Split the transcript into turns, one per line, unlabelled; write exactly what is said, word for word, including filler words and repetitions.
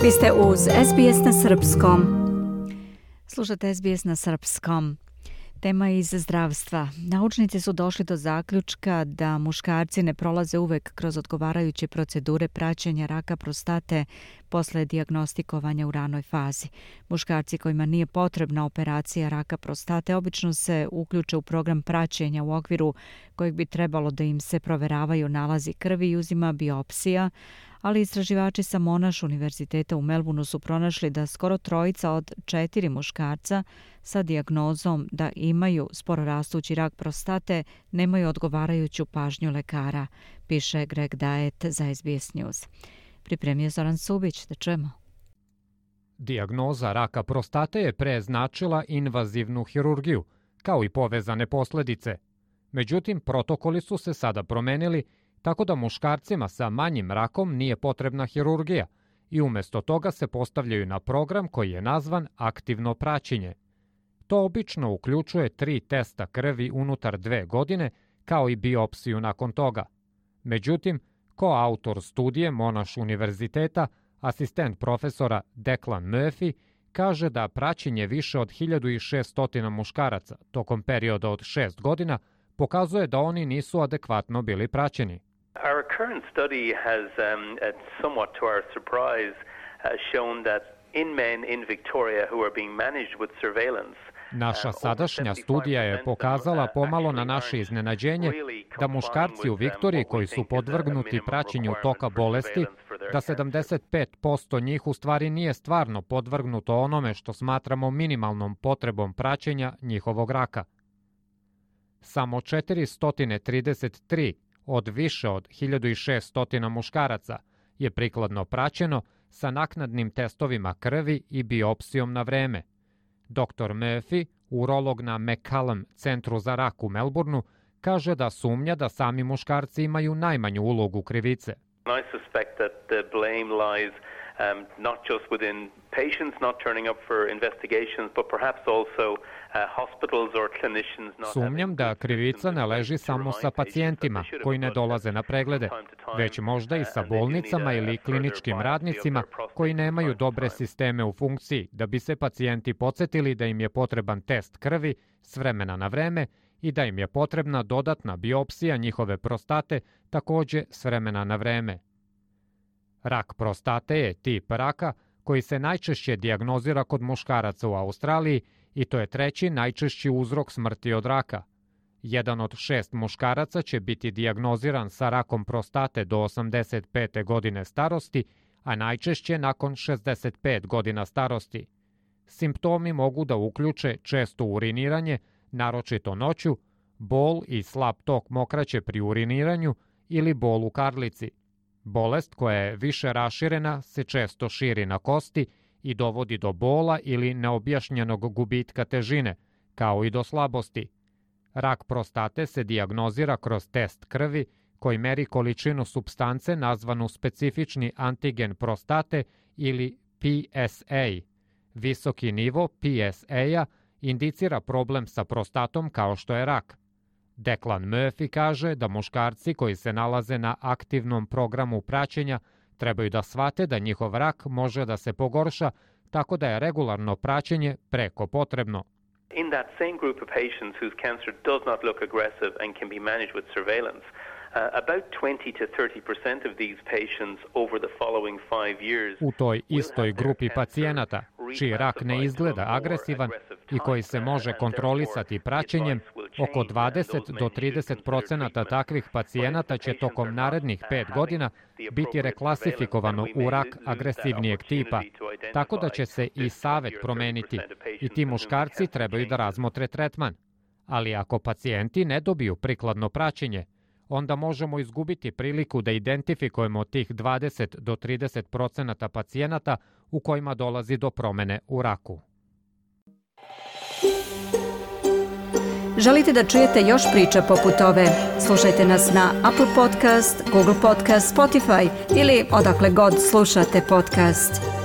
Vi ste uz S B S na srpskom. Slušate S B S na srpskom. Tema iz zdravstva. Naučnici su došli do zaključka da muškarci ne prolaze uvek kroz odgovarajuće procedure praćenja raka prostate posle dijagnostikovanja u ranoj fazi. Muškarci kojima nije potrebna operacija raka prostate obično se uključe u program praćenja u okviru kojeg bi trebalo da im se proveravaju nalazi krvi i uzima biopsija, ali istraživači sa Monash univerziteta u Melbourneu su pronašli da skoro trojica od četiri muškarca sa dijagnozom da imaju spororastući rak prostate nemaju odgovarajuću pažnju lekara, piše Greg Diet za S B S News. Pripremio Zoran Subić, da čujemo.
Dijagnoza raka prostate je pre značila invazivnu hirurgiju, kao i povezane posledice. Međutim, protokoli su se sada promenili, tako da muškarcima sa manjim rakom nije potrebna hirurgija i umjesto toga se postavljaju na program koji je nazvan aktivno praćenje. To obično uključuje tri testa krvi unutar dve godine, kao i biopsiju nakon toga. Međutim, koautor studije Monash univerziteta, asistent profesora Declan Murphy, kaže da praćenje više od hiljadu šesto muškaraca tokom perioda od šest godina pokazuje da oni nisu adekvatno bili praćeni.
Our current study has, um, uh, somewhat to our surprise, uh, shown that in men in Victoria who are being managed with surveillance.
Naša sadašnja studija je pokazala pomalo na naše iznenađenje da muškarci u Viktoriji koji su podvrgnuti praćenju toka bolesti, da sedamdeset pet posto njih u stvari nije stvarno podvrgnuto onome što smatramo minimalnom potrebom praćenja njihovog raka. Samo četiristo trideset tri od više od hiljadu šesto muškaraca je prikladno praćeno sa naknadnim testovima krvi i biopsijom na vreme. doktor Murphy, urolog na McCallum centru za rak u Melbourneu, kaže da sumnja da sami muškarci imaju najmanju ulogu krivice.
I suspect that the blame lies um, not just within patients not turning up for investigations, but perhaps also uh, hospitals or clinicians not.
Sumnjam da krivica ne leži samo sa pacijentima koji ne dolaze na preglede, već možda i sa bolnicama ili kliničkim radnicima koji nemaju dobre sisteme u funkciji da bi se pacijenti podsjetili da im je potreban test krvi s vremena na vreme i da im je potrebna dodatna biopsija njihove prostate također s vremena na vreme. Rak prostate je tip raka koji se najčešće dijagnozira kod muškaraca u Australiji i to je treći najčešći uzrok smrti od raka. Jedan od šest muškaraca će biti dijagnoziran sa rakom prostate do osamdeset pete godine starosti, a najčešće nakon šezdeset pet godina starosti. Simptomi mogu da uključe često uriniranje, naročito noću, bol i slab tok mokraće pri uriniranju ili bol u karlici. Bolest koja je više raširena se često širi na kosti i dovodi do bola ili neobjašnjenog gubitka težine, kao i do slabosti. Rak prostate se dijagnozira kroz test krvi koji meri količinu supstance nazvanu specifični antigen prostate ili P S A. Visoki nivo P S A-a indicira problem sa prostatom kao što je rak. Declan Murphy kaže da muškarci koji se nalaze na aktivnom programu praćenja trebaju da shvate da njihov rak može da se pogorša, tako da je regularno praćenje preko potrebno.
In that same group of patients whose cancer does not look aggressive and can be managed with surveillance, Uh, about twenty to thirty percent of these patients over the following five years.
U toj istoj grupi pacijenata, čiji rak ne izgleda agresivan i koji se može kontrolisati praćenjem, oko dvadeset do trideset posto takvih pacijenata će tokom narednih pet godina biti reklasifikovano u rak agresivnijeg tipa, tako da će se i savet promeniti i ti muškarci trebaju da razmotre tretman. Ali ako pacijenti ne dobiju prikladno praćenje, onda možemo izgubiti priliku da identifikujemo tih dvadeset do trideset posto pacijenata u kojima dolazi do promene u raku.
Želite da čujete još priča poput ove? Slušajte nas na Apple Podcast, Google Podcast, Spotify ili odakle god slušate podcast.